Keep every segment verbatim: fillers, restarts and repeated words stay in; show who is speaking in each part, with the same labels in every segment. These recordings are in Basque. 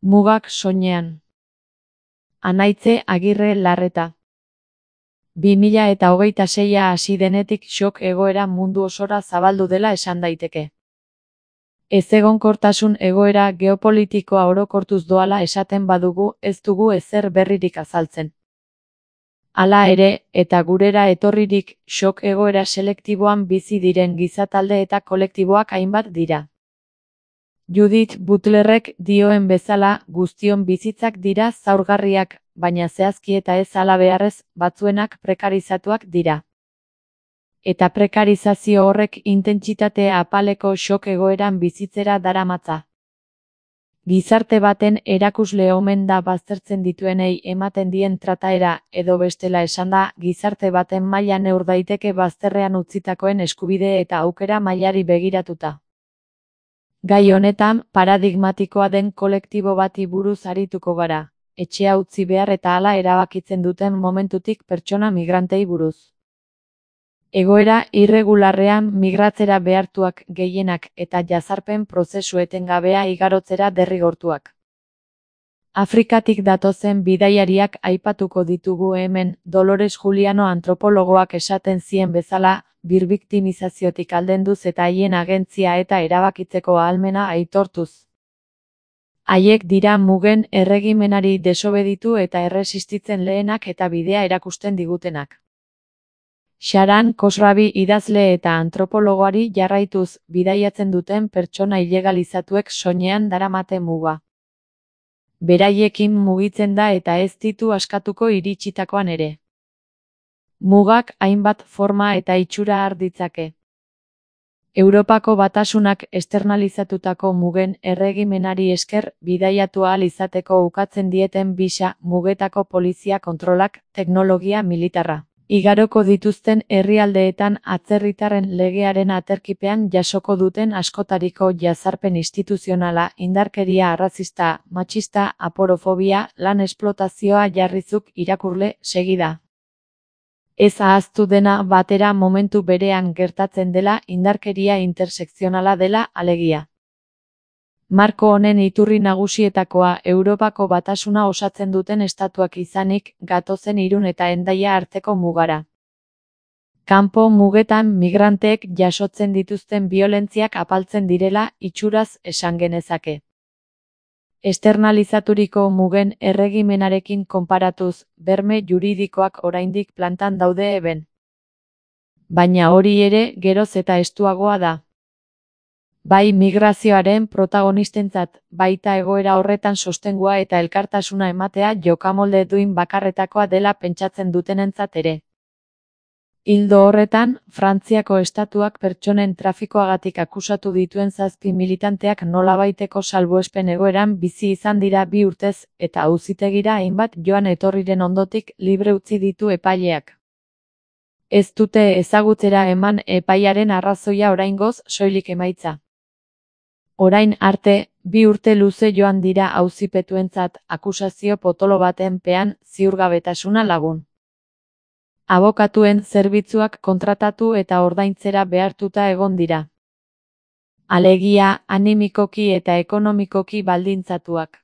Speaker 1: Mugak soinean. Anaitze Agirre Larreta. bi mila eta hogeita seia hasi denetik shock egoera mundu osora zabaldu dela esan daiteke. Ezegonkortasun egoera geopolitikoa orokortuz doala esaten badugu ez dugu ezer berririk azaltzen. Hala ere, eta gurera etorririk, shock egoera selektiboan bizi diren gizatalde eta kolektiboak hainbat dira. Judith Butlerrek dioen bezala, guztion bizitzak dira zaurgarriak, baina zehazki eta ez halabeharrez, batzuenak prekarizatuak dira. Eta prekarizazio horrek intentsitate apaleko shock egoeran bizitzera daramatza. Gizarte baten erakusle omen da baztertzen dituenei ematen dien trataera, edo bestela esanda, gizarte baten maila neur daiteke bazterrean utzitakoen eskubide eta aukera mailari begiratuta. Gai honetan, paradigmatikoa den kolektibo bati buruz arituko gara, etxea utzi behar eta hala erabakitzen duten momentutik pertsona migrantei buruz. Egoera irregularrean migratzera behartuak gehienak eta jazarpen prozesu etengabea igarotzera derrigortuak. Afrikatik datozen bidaiariak aipatuko ditugu hemen, Dolores Juliano antropologoak esaten zien bezala, birbiktimizaziotik aldenduz eta haien agentzia eta erabakitzeko ahalmena aitortuz. Haiek dira mugen erregimenari desobeditu eta erresistitzen lehenak eta bidea erakusten digutenak. Sharan Khosravi idazle eta antropologoari jarraituz, bidaiatzen duten pertsona ilegalizatuek soinean daramate muga. Beraiekin mugitzen da eta ez ditu askatuko iritsitakoan ere. Mugak hainbat forma eta itxura har ditzake. Europako Batasunak esternalizatutako mugen erregimenari esker bidaiatu ahal izateko ukatzen dieten bisa mugetako polizia kontrolak, teknologia militarra. Igaroko dituzten herrialdeetan atzerritarren legearen aterkipean jasoko duten askotariko jazarpen instituzionala, indarkeria arrazista, matxista, aporofobia, lan esplotazioa jarrizuk irakurle segida. Ez ahaztu dena batera momentu berean gertatzen dela indarkeria intersekzionala dela alegia. Marko honen iturri nagusietakoa Europako Batasuna osatzen duten estatuak izanik, gatozen Irun eta Hendaia arteko mugara. Kanpo mugetan migranteek jasotzen dituzten biolentziak apaltzen direla itxuraz esan genezake. Esternalizaturiko mugen erregimenarekin konparatuz, berme juridikoak oraindik plantan daude eben. Baina hori ere geroz eta estuagoa da. Bai migrazioaren protagonistentzat, baita egoera horretan sostengua eta elkartasuna ematea jokamolde duin bakarretakoa dela pentsatzen dutenentzat ere. Ildo horretan, Frantziako estatuak pertsonen trafikoagatik akusatu dituen zazpi militanteak nolabaiteko salbuespen egoeran bizi izan dira bi urtez, eta auzitegira hainbat joan etorriren ondotik libre utzi ditu epaileak. Ez dute ezagutzera eman epaiaren arrazoia oraingoz soilik emaitza. Orain arte, bi urte luze joan dira auzipetuentzat akusazio potolo baten pean ziurgabetasuna lagun. Abokatuen zerbitzuak kontratatu eta ordaintzera behartuta egon dira. Alegia, animikoki eta ekonomikoki baldintzatuak.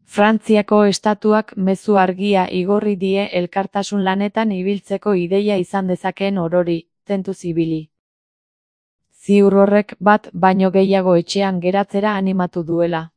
Speaker 1: Frantziako estatuak mezu argia igorri die elkartasun lanetan ibiltzeko ideia izan dezakeen orori, tentuz ibili. Ziur horrek bat baino gehiago etxean geratzera animatu duela.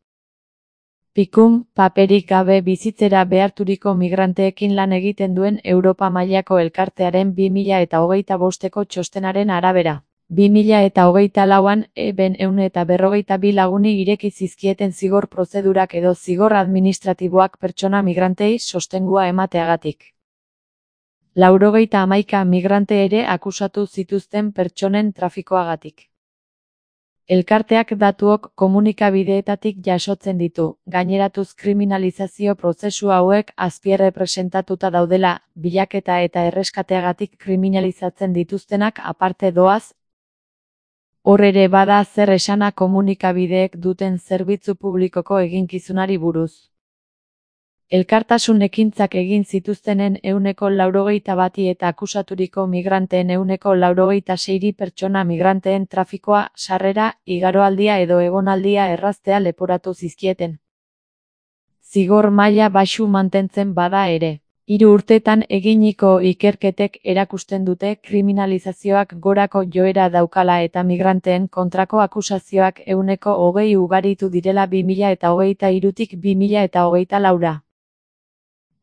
Speaker 1: Pikun, paperik gabe bizitzera beharturiko migranteekin lan egiten duen Europa mailako elkartearen bi mila eta hogeita bosteko txostenaren arabera. bi mila eta hogeita lauan, eben ehun eta berrogeita bi laguni ireki zizkieten zigor prozedurak edo zigor administratiboak pertsona migrantei sostengua emateagatik. Laurogeita hamaika migrante ere akusatu zituzten pertsonen trafikoagatik. Elkarteak datuok komunikabideetatik jasotzen ditu, gaineratuz kriminalizazio prozesu hauek azpierrepresentatuta daudela, bilaketa eta erreskateagatik kriminalizatzen dituztenak aparte doaz. Hor ere bada zer esana komunikabideek duten zerbitzu publikoko eginkizunari buruz. Elkartasun ekintzak egin zituztenen ehuneko laurogeita bati eta akusaturiko migranteen ehuneko laurogeita seiri pertsona migranteen trafikoa, sarrera, igaroaldia edo egonaldia erraztea leporatu zizkieten. zigor maila baxu mantentzen bada ere. Hiru urtetan eginiko ikerketek erakusten dute kriminalizazioak gorako joera daukala eta migranteen kontrako akusazioak ehuneko hogei ugaritu direla bi mila eta hogeita hirutik bi mila eta hogeita laura.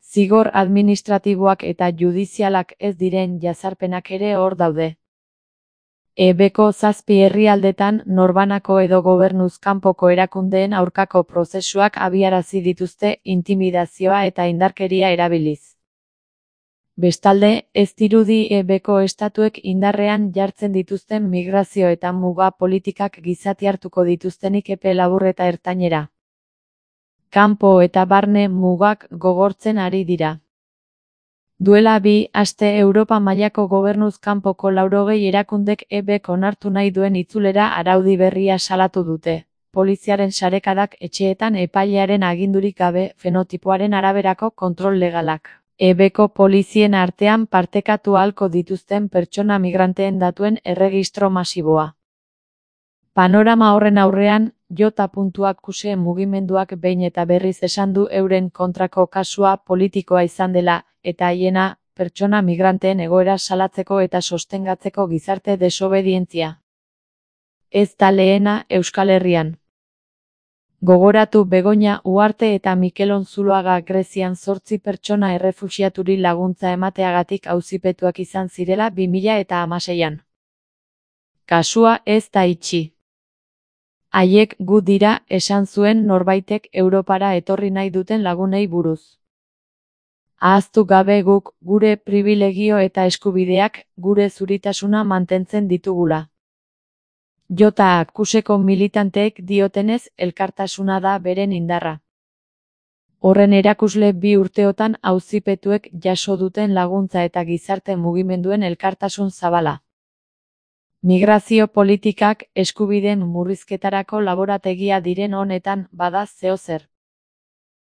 Speaker 1: Zigor administratiboak eta judizialak ez diren jazarpenak ere hor daude. E Bko zazpi herrialdetan norbanako edo gobernuz kanpoko erakundeen aurkako prozesuak abiarazi dituzte intimidazioa eta indarkeria erabiliz. Bestalde, ez dirudi E Bko estatuek indarrean jartzen dituzten migrazio eta muga politikak gizati hartuko dituztenik epe labur eta ertainera. Kanpo eta barne mugak gogortzen ari dira. Duela bi aste Europa mailako gobernuz kanpoko laurogei erakundek E Bk onartu nahi duen itzulera araudi berria salatu dute. Poliziaren sarekadak etxeetan epailearen agindurik gabe fenotipoaren araberako kontrol legalak. E Bko polizien artean partekatu ahalko dituzten pertsona migranteen datuen erregistro masiboa. Panorama horren aurrean, J. Akuse mugimenduak behin eta berriz esan du euren kontrako kasua politikoa izan dela, eta haiena, pertsona migranteen egoera salatzeko eta sostengatzeko gizarte desobedientzia. Ez da lehena Euskal Herrian. Gogoratu Begoña Uharte eta Mikel Onzuloaga Grezian zortzi pertsona errefuxiaturi laguntza emateagatik auzipetuak izan zirela bi mila eta hamaseian. Kasua ez da itxi. Haiek gu dira, esan zuen norbaitek Europara etorri nahi duten lagunei buruz. Ahaztu gabe guk, gure pribilegio eta eskubideak, gure zuritasuna mantentzen ditugula. J. Akuseko militanteek diotenez, elkartasuna da beren indarra. Horren erakusle bi urteotan auzipetuek jaso duten laguntza eta gizarte mugimenduen elkartasun zabala. Migrazio politikak eskubideen murrizketarako laborategia diren honetan bada zeozer.